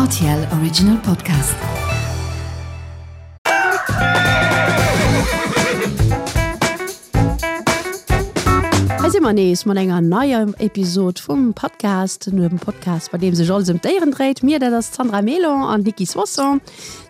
Rtl Original Podcast. Hei si mer nees mat enger neier Episod vum Podcast, dem Podcast, bei deem sech alles ëm d'Déieren dréit. Mir, dat ass d'Sandra Mélan an d'Nicky Soisson.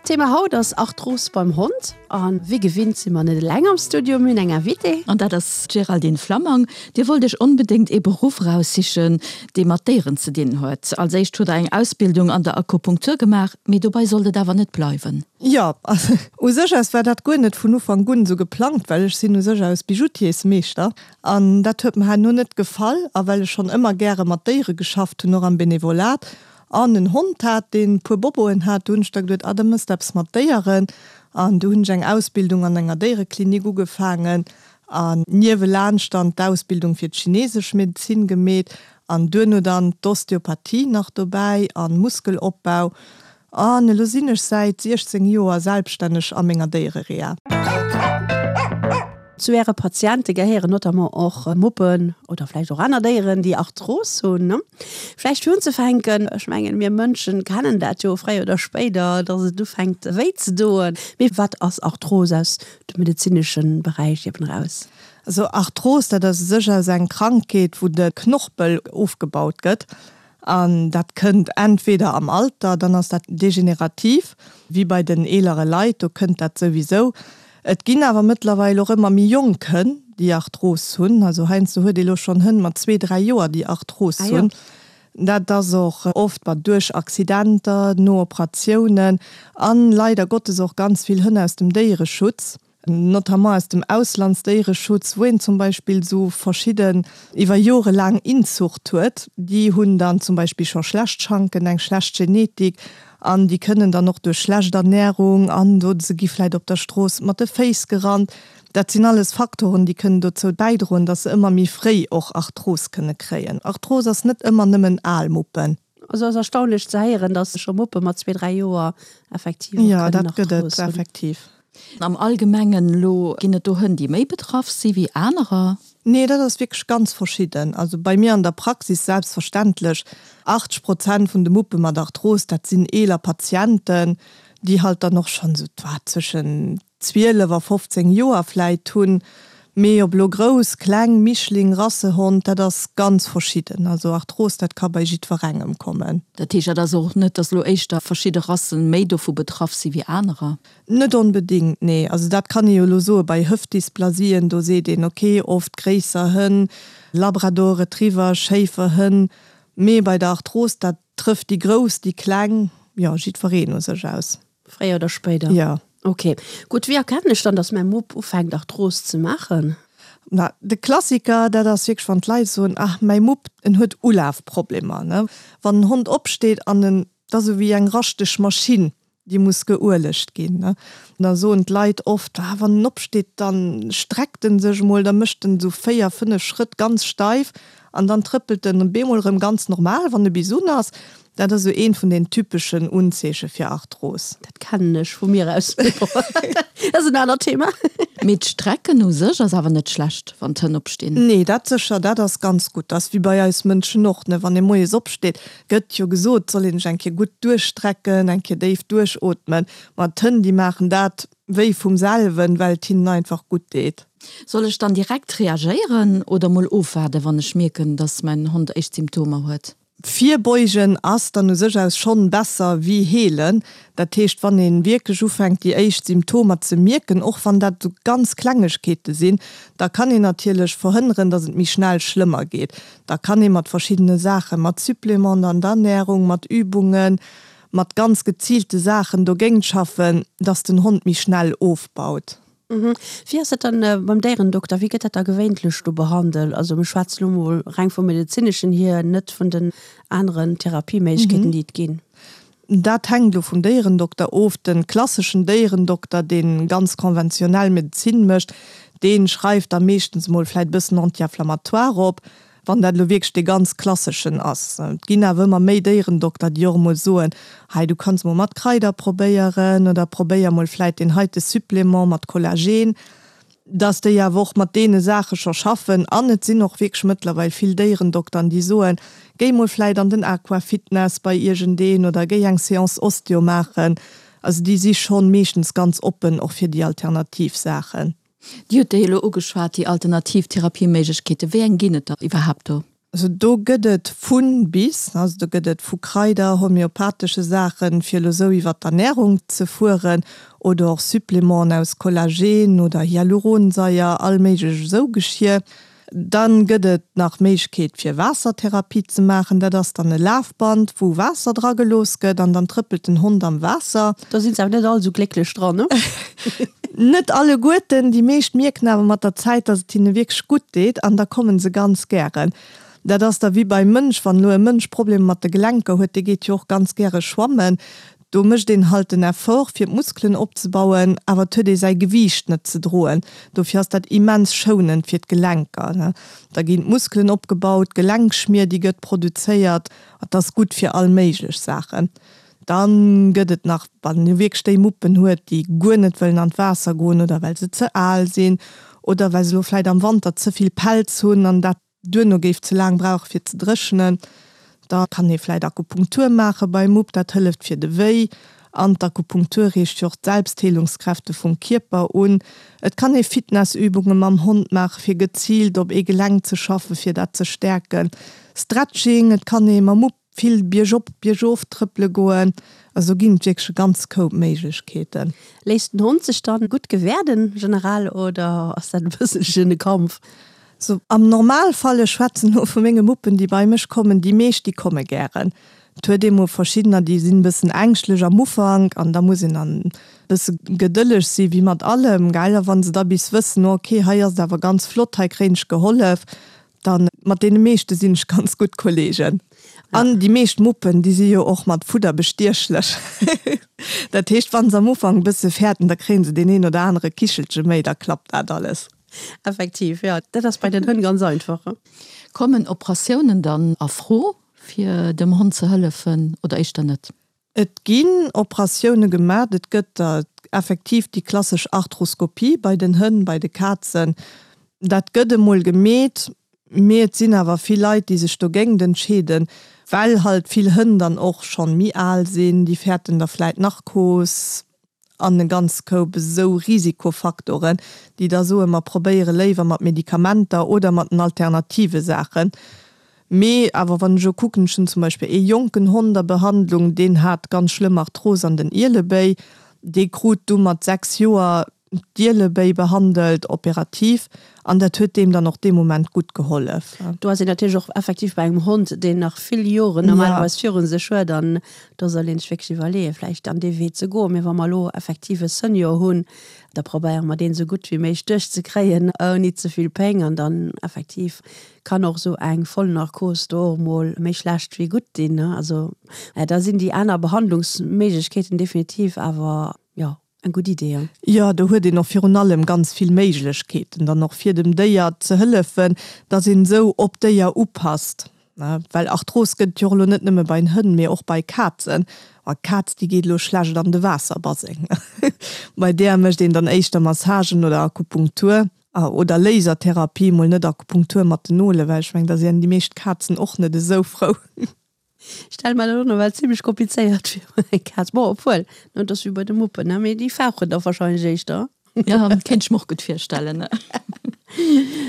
D'Thema haut ass Arthros beim Hond. A wéi gewinnt si mer net eleng am Studio, mir hunn eng Invitée. An dat ass d'Géraldine Flammang. Dir wollt Iech onbedéngt ee Beruff eraussichen, dee mat Déieren ze dinn huet. Als éischt hutt Der eng Ausbildung an der Akupunktur gemaach, mee dobei sollt et awer net bleiwen. Jo, also u sech aus war dat guer net vun Ufank un esou geplangt, well ech sinn u sech aus Bijoutiersmeeschter an dat huet mer herno net gefall. A well ech schonn ëmmer gäre mat Déiere geschafft hunn, och am Benevolat, An en Hond hat, deen e puer Boboen hat. Du hunn ech da geduet, ah, da mëss de eppes mat Déieren. An du hunn ech eng Ausbildung an enger Déiereklinik ugefaangen an niewelaanscht dann d'Ausbildung fir d'chinesesch Medezin gemeet an duerno dann d'Osteopathie nach dobäi an Muskelopbau. An elo sinn ech säit 16 Joer selbststänneg a menger Déierereha. Zu Äre Patiente gehéieren notamment och Muppen oder vläicht och aner Déieren, déi Arthros hunn. Vläicht fir unzefänken, ech mengen, mir Mënschen kennen dat jo fréier oder spéider, dass et ufänkt wéi ze doen. Mee wat ass Arthros aus dem medezinesche Beräich eben eraus? Also Arthros, dat ass u sech aus eng Krankheet, wou de Knorpel ofgebaut gëtt. An dat kënnt entweder am Alter, dann ass dat degenerativ, wéi bei den eelere Leit, do kënnt dat souwisou. Et ginn awer mëttlerweil och ëmmer méi jonk Hënn, déi Arthros hunn. Also heiansdo huet ee lo schonn Hënn mat zwee, dräi Joer, déi Arthros hunn. Dat ass och oft duerch Accidenter, no Operatiounen an leider Gottes och ganz vill Hënn aus dem Déiereschutz. Notamment aus dem Auslandsdéiereschutz, wou een zum Beispill esou verschidden iwwer Jore laang Inzucht huet. Déi hunn dann zum Beispill scho schlecht Schanken, eng schlecht Genetik an déi kënnen dann och duerch schlecht Ernärung an oder se gi vläit op der Strooss mat de Féiss gerannt. Dat sinn alles Faktoren, déi kënnen dozou bäidroen, datt se ëmmer méi fréi och Arthros kënne kréien. Arthros ass net ëmmer nëmmen al Muppen. Also ass erstaunlech ze héieren, datt scho Muppe mat zwee, dräi Joer effektiv och kënnen Arthros hunn. Jo, dat gëtt et effektiv. Am Allgemengen elo, ginn et do Hënn, déi méi betraff si wéi anerer? Nee, dat ass wierklech ganz verschidden. Also bei mir an der Praxis selbstverständlech, 80 Prozent vun de Muppe mat Arthros, dat sinn eeler Patienten, déi halt dann och schonn esou, wat, zwëschen 12 a 15 Joer vläit hunn. Mee ob elo grouss, kleng, Mischling, Rassehond, dat ass ganz verschidden. Also Arthros, dat ka bei jiddwerengem kommen. Dat heescht, dat ass och net, datt elo éischter verschidde Rassen méi dovu betraff si wéi anerer? Net onbedéngt, nee. Also dat kann ee jo elo soe bei Hëftdysplasien, do seet een, ok, oft gréisser Hënn, Labrador Retriever, Schéiferhënn, mee bei der Arthros, dat trëfft déi Grouss, déi Kleng, jo, jiddwereen u sech aus. Fréier oder spéider? Jo. Ok. Gutt, wéi erkennen ech dann, datt mäi Mupp ufänkt Arthros ze maachen? Na, de Klassiker, dat ass wierklech, wann d'Leit soen, ach, mäi Mupp, en huet Ulafproblemer, ne. Wann en Hond opsteet an en, dat ass esou wéi eng raschteg Maschinn, déi muss geuelegt ginn. Da soen d'Leit oft, ah, wann en opsteet, da streckt en sech emol, da mécht en esou 4, 5 Schrëtt ganz steif an dann trëppelt en bemol erëm ganz normal, wann e bis un ass. Dat ass esou eent vun den typeschen Unzeeche fir Arthros. Dat kennen ech vu mir aus, mee bon, dat ass en anert Thema. Mee d'Strecken u sech ass awer net schlecht, wann d'Hënn opstinn? Nee, dat sécher, dat ass ganz gutt. Dat ass wéi bei eis Mënschen och, ne, wann ee moies opsteet, Gëtt jo gesot, soll een sech eng Kéier gutt duerchstrecken, eng Kéier déif duerchootmen. Ma d'Hënn, déi maachen dat wéi vum selwen, well et hinnen einfach gutt deet. Soll ech dann direkt reagéieren oder mol ofwaarden, wann ech mierken, dass mäin Hond éischt Symptomer huet? Virbeugen ass dann u sech aus schonn besser wéi heelen. Dat heescht, wann ee wierklech ufänkt déi éischt Symptomer ze mierken, och wann dat esou ganz Klengegkeete sinn, da kann een natierlech verhënneren, dass et méi schnell schlëmmer geet. Da kann ee mat verschiddene Saachen, mat Supplémenten an der Ernährung, mat Übungen, mat ganz geziilte Saachen dogéint schaffen, dass den Hond méi schnell ofbaut. Wéi ass dat dann beim Déierendokter? Wéi gëtt dat da gewéintlech do behandelt? Also mir schwätzen elo mol reng vum medezineschen hier, net vun den aneren Therapieméiglechkeeten, déi et ginn. Dat hänkt elo vum Déierendokter of. De klasseschen Déierendokter, dee ganz konventionell Medezin mécht, dee schreift da meeschtens emol vläit e bëssen Anti-inflammatoire op, wann dat elo wierklech dee ganz klasseschen ass. Et ginn awer ëmmer méi Déierendokter, déi och emol soen, hei du kanns emol mat Kraider probéieren oder probéier emol vläit deen heite Supplément mat Kollagen. Dass déi awer och mat deene Saache scho schaffen. An et sinn och wierklech mëttlerweil vill Déierendokteren, déi soen, Géi mol vläit an den Aquafitness bei iergendeen oder géi eng Séance Osteo maachen. Also déi si schonn meeschtens ganz oppen och fir déi alternativ Saachen. Dir hutt déi elo ugeschwat, déi alternativ Therapieméiglechkeeten. Wéi eng ginn et der iwwerhaapt do? Also do gëtt et vu bis, also do gëtt et vu Kraider, homeopathesche Saachen, fir elo esou iwwer d'Ernärung ze fueren, oder och Supplémenten aus Kollagen oder Hyaluronsaier, all méiglech esou Geschir. Dann gëtt et nach Méiglechkeet fir Waassertherapie ze maachen. Dat ass dann e Lafband wou Waasser dra gelooss gëtt an dann trëppelt den Hond am Waasser. Do sinn se awer net all esou glécklech dran, ne? Net alleguerten, déi meescht mierken awer mat der Zäit, dass et hinne wierklech gutt deet an da kommen se ganz gären. Dat ass da wéi beim Mënsch, wann elo e Mënsch Problemer mat de Gelenker huet, dee geet jo och ganz gäre schwammen. Do mécht een halt den Effort fir d'Muskelen opzebauen, awer et huet ee säi Gewiicht net ze droen. Dofir ass dat immens schounend fir d'Gelenker. Da ginn d'Muskelen opgebaut, d'Gelenkschmier déi gëtt produzéiert. Et ass gutt fir all méiglech Saachen. Dann gëtt et nach, wann ee wierklech déi Muppen huet, déi guer net wëllen an d'Waasser goen oder well se ze al sinn oder well se elo vläit am Wanter ze vill Pelz hunn an dat duerno géif ze laang brauche fir ze dréchnen, da kann ee vläit Akupunktur maache beim Mupp, dat hëlleft fir de Wéi an d'Akupunktur reegt jo och d'Selbstheelungskräfte vum Kierper un. Et kann ee Fitnessübunge mam Hond maache fir geziilt op ee Gelenk ze schaffen, fir dat ze stäerken. Stretching, et kann ee mam Mupp vill biergop, biergof trëppele goen. Also do ginn et wierklech e ganz Koup Méiglechkeeten. Léisst den Hond sech dann gutt gewäerden generell oder ass dat e bësselchen e Kampf? So am Normalfall, ech schwätzen elo vu menge Muppen déi bei mech kommen, déi meescht déi komme gären. Et huet ee mol verschiddener déi sinn e bëssen ängschtlech am Ufank an da muss een dann e bësse gedëlleg si wéi mat allem, gell. A wann se da bis wëssen, oh ok hei ass et awer ganz flott, hei kréien ech gehollef, dann mat deene meeschte sinn ech ganz gutt Kollegen. An déi meescht Muppen déi si jo och mat Fudder bestiechlech. Dat heescht wann se am Ufank e bësse fäerten, da kréien se deen een oder anere Kichelche méi, da klappt dat alles. Effektiv, jo. Dat ass bei den Hënn ganz einfach. Kommen Operatiounen dann a Fro, fir dem Hond ze hëllefen, oder éischter net? Et ginn Operatioune gemaat. Et gëtt der effektiv déi klassesch Arthroskopie bei den Hënn, bei de Kazen. Dat gëtt emol gemeet, mee et sinn awer vill Leit, déi sech dogéingt entscheeden, well halt vill Hënn dann och schonn méi al sinn, déi fäerten da vläit Narkos. an e ganz Koup esou Risikofaktoren, déi da soen, mer probéiere léiwer mat Medikamenter oder mat den alternative Saachen. Mee awer wann ech elo kucken, ech hunn zum Beispill ee jonken Hond a Behandlung, deen hat ganz schlëmm Arthros an den Ielebéi, dee krut du mat 6 Joer d'Ielebéi behandelt, operativ, an dat huet deem dann och dee Moment gutt gehollef. Do ass een natierlech och effektiv bei engem Hond, deen nach vill Joren normalerweis viru sech huet an Do soll een sech wierklech iwwerleeën, vläicht an dee Wee ze goen. Mee wa mer elo effektiv e Senior hunn, da probéiere mer deen esou gutt wéi méiglech duerchzekréien, ouni ze vill Péng. An dann effektiv kann och esou eng Vollnarkos do och emol méi schlecht wéi gutt dinn. Also da sinn déi aner Behandlungsméiglechkeeten definitiv awer, jo, Eng gutt Idee, jo. Jo, do huet een och virun allem ganz vill Méiglechkeeten dann och fir dem Déier ze hëllefen, dass een esou op d'Déier upasst, ne, well Arthros gëtt et jo och elo net nëmme bei den Hënn, mee och bei Kazen. A Kaz, déi geet elo schlecht an de Waasserbaseng. Bei där mécht een dann éischter Massagen oder Akupunktur oder Lasertherapie, mol net Akupunktur mat den Nole, well ech mengen, da sinn déi meescht Kazen och net esou frou. Stelle mer dat och nawell zimlech komplizéiert vir, eng Kaz. Bon, obwuel, ne, et ass wéi bei de Muppen, ne, mee déi fauchen da wahrscheinlech éischter. Jo, kéint ech mer och gutt virstellen, ne.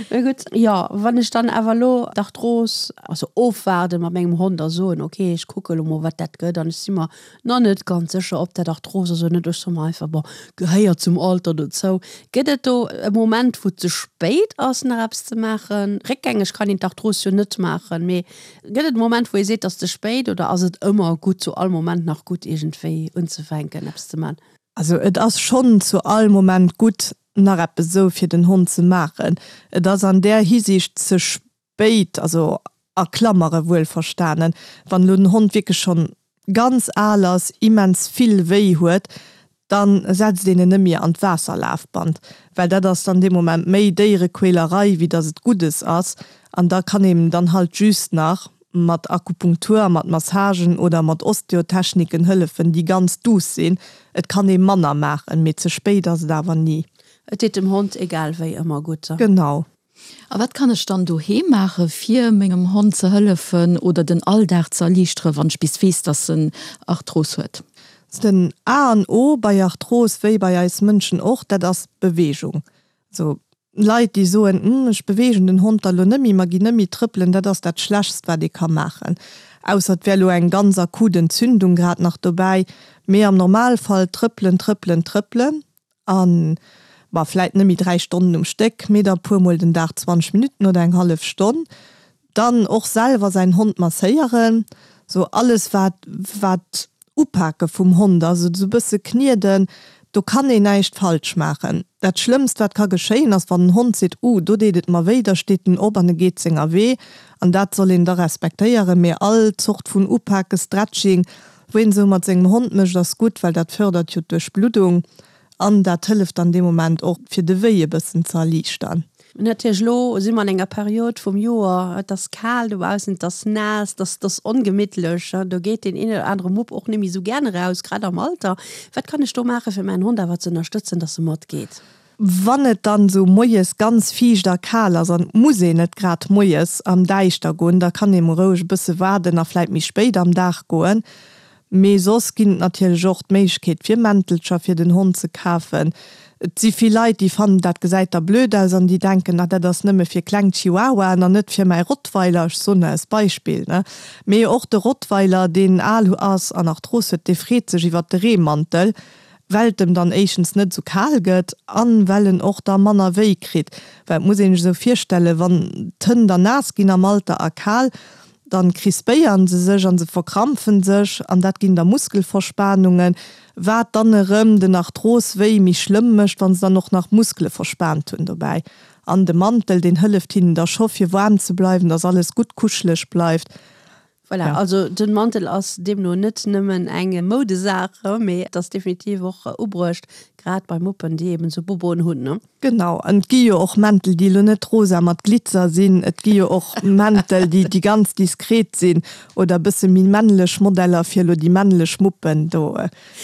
Mee gutt, jo, wann ech dann awer elo d'Arthros, also ofwaarde mat mengem Hond a soen, ok, ech kucke elo mol, wat dat gëtt an ech si mer nach net ganz sécher, ob dat Arthros ass oder net, ech soe mer einfach, bon, gehéiert zum Alter dozou. Gëtt et do e Moment, wou et ze spéit ass, nach eppes ze maachen? Réckgängeg kann een d'Arthros jo net maachen, mee Gëtt et e Moment, wou ee seet, et ass ze spéit, oder ass et ëmmer gutt, zu all Moment nach gutt iergendwéi unzefänken, eppes ze man? Also et ass schonn zu all Moment gutt, nach eppes esou fir den Hond ze maachen. Et ass an där Hisiicht ze spéit, also a Klammere wuelverstanen, wann elo den Hond wierklech schonn ganz al ass, immens vill wéi huet, dann setzt een en net méi an d'Waasserlafband, well dat ass dann dee Moment méi Déierequälerei, wéi dass et Guddes ass. An da kann een dann halt just nach mat Akupunktur a mat Massagen oder mat Osteotechniken hëllefen, déi ganz douce sinn. Et kann ee manner maachen, mee ze spéit ass et awer ni. Et deet dem Hond egal wéi ëmmer gutt. Genau. A wat kann ech dann doheem maache fir mengem Hond ze hëllefen oder den Alldag ze erliichteren, wann ech bis weess, dass en Arthros huet? Den A an O bei Arthros, wéi bei eis Mënschen och, dat ass Beweegung. Also Leit déi soen, Hm, ech beweegen den Hond da lo net méi, mer ginn net méi trëppelen, dat ass dat Schlechtst wat ee ka maachen. Ausser et wär lo eng ganz akut Entzündung grad nach dobäi. Mee am Normalfall trëppelen, trëppelen, trëppelen an, bon, vläit net méi 3 Stonnen um Stéck, mee da puer mol den Dag 20 Minutten oder eng hallef Stonn. Dann och selwer säin Hond masséieren, sou alles wat wat Upake vum Hond ass, esou e bësse knieden, do kann een näischt falsch maachen. Dat schlëmmst wat ka geschéien ass wann den Hond seet, uh do deet et mer wéi, da steet en op an e geet senger Wee an dat soll een da respektéieren. Mee all Zort vun Upake, Stretching, wou een esou mat sengem Hond mécht ass gutt, well dat fërdert jo d'Duerchbluddung. An dat hëlleft dann dee Moment och, fir de Wéi e bëssen ze erliichtern. Natierlech, elo si mer an enger Period vum Joer, et ass kal dobaussen, et ass naass, et ass, et ass ongemittlech, do geet deen een oder anere Mupp och net méi esou gären eraus, grad am Alter. Wat kann ech do maachen, fir mäin Hond awer ze ënnerstëtzen, dass e matgeet? Wann et dann esou moies ganz fiicht a kal ass an et muss een net grad moies am Däischter goen, da kann ee mol roueg e bësse waarden a vläit méi spéit am Dag goen. Mee soss ginn et natierlech och d'Méiglechkeet fir Mäntelcher fir den Hond ze kafen. Et si vill Leit déi fannen dat gesäit da blöd aus an déi denken, ah dat ass nëmme fir kleng Chihuahuaen an net fir mäi Rottweiler, ech soen als Beispill, ne. Mee och de Rottweiler deen al ass an Arthros huet, dee freet sech iwwert de Reemantel, well et em dann éischtens net esou kal gëtt an well en och da manner wéi kritt. Well et muss een sech esou virstellen, wann d'Hënn dann naass ginn am Alter a kal, Dann crispéieren se sech an se verkrampfen sech an dat ginn da Muskelverspanungen, wat dann erëm den Arthros-Wéi méi schlëmm mécht, wann se dann och nach Muskele verspaant hunn dobäi. An de Mantel, deen hëlleft hinnen da scho fir waarm ze bleiwen, dass alles gutt kuscheleg bleift. Voilà, also den Mantel ass deemno net nëmmen eng Moudesaach, mee et ass definitiv och ubruecht, grad bei Muppen, déi eben esou Boboen hunn. Genau, an et gi jo och Mäntel, déi elo net rosa mat Glitzer sinn. Et gi jo och Mäntel, déi, déi ganz diskret sinn oder e bësse méi männlech Modeller fir elo déi männlech Muppen. Do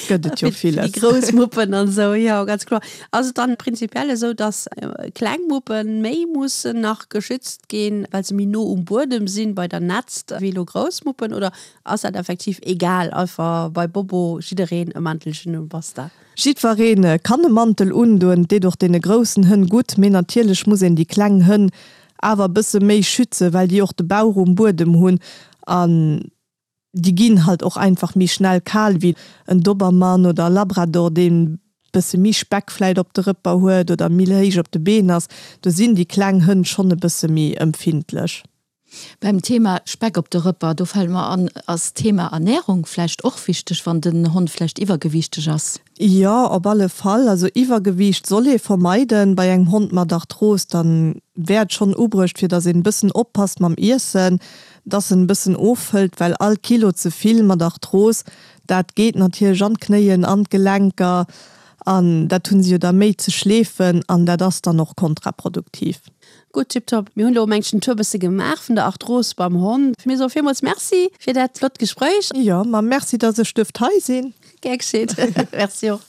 gëtt et jo villes. Fir déi grouss Muppen an esou, jo, ganz kloer. Ass et dann prinzipiell esou, dass kleng Muppen méi mussen nach geschützt ginn, well se méi no um Buedem sinn bei der Nätzt, wéi elo grouss Muppen? Oder ass dat effektiv egal, einfach bei Bobo jiddereen e Mäntelchen un, basta? Jiddweree kann e Mantel undoen, et deet och deene groussen Hënn gutt, mee natierlech muss een déi kleng Hënn awer e bësse méi schützen, well déi och de Bauch um Buedem hunn an déi ginn halt och einfach méi schnell kal wéi en Dobermann oder e Labrador, deen bësse méi Speck vläit op de Rëpper huet oder méi héich op de Been ass. Do sinn déi kleng Hënn schonn e bësse méi empfindlech. Beim Thema Speck op de Rëpper, do fält mer an, ass d'Thema Ernährung vläicht och wichteg, wann den Hond vläicht iwwergewiichteg ass? Jo, op alle Fall. Also Iwwergewiicht soll ee vermeiden. Bei engem Hond mat Arthros, dann wär et schonn ubruecht, fir dass een e bëssen oppasst mam Iessen, dass en e bëssen ofhëlt, well all Kilo ze vill mat Arthros, dat geet natierlech an d'Knéien, an d'Gelenker an dat hu se jo da méi ze schleefen an dat ass dann och kontraproduktiv. Gutt, tiptop. Mir hunn elo mengt den Tour bësse gemaach vun der Arthros beim Hond. Mir soe villmools Merci fir dat flott Gespréich. Jo, ma merci, dass ech duerft hei sinn. Gär geschéet. Merci och.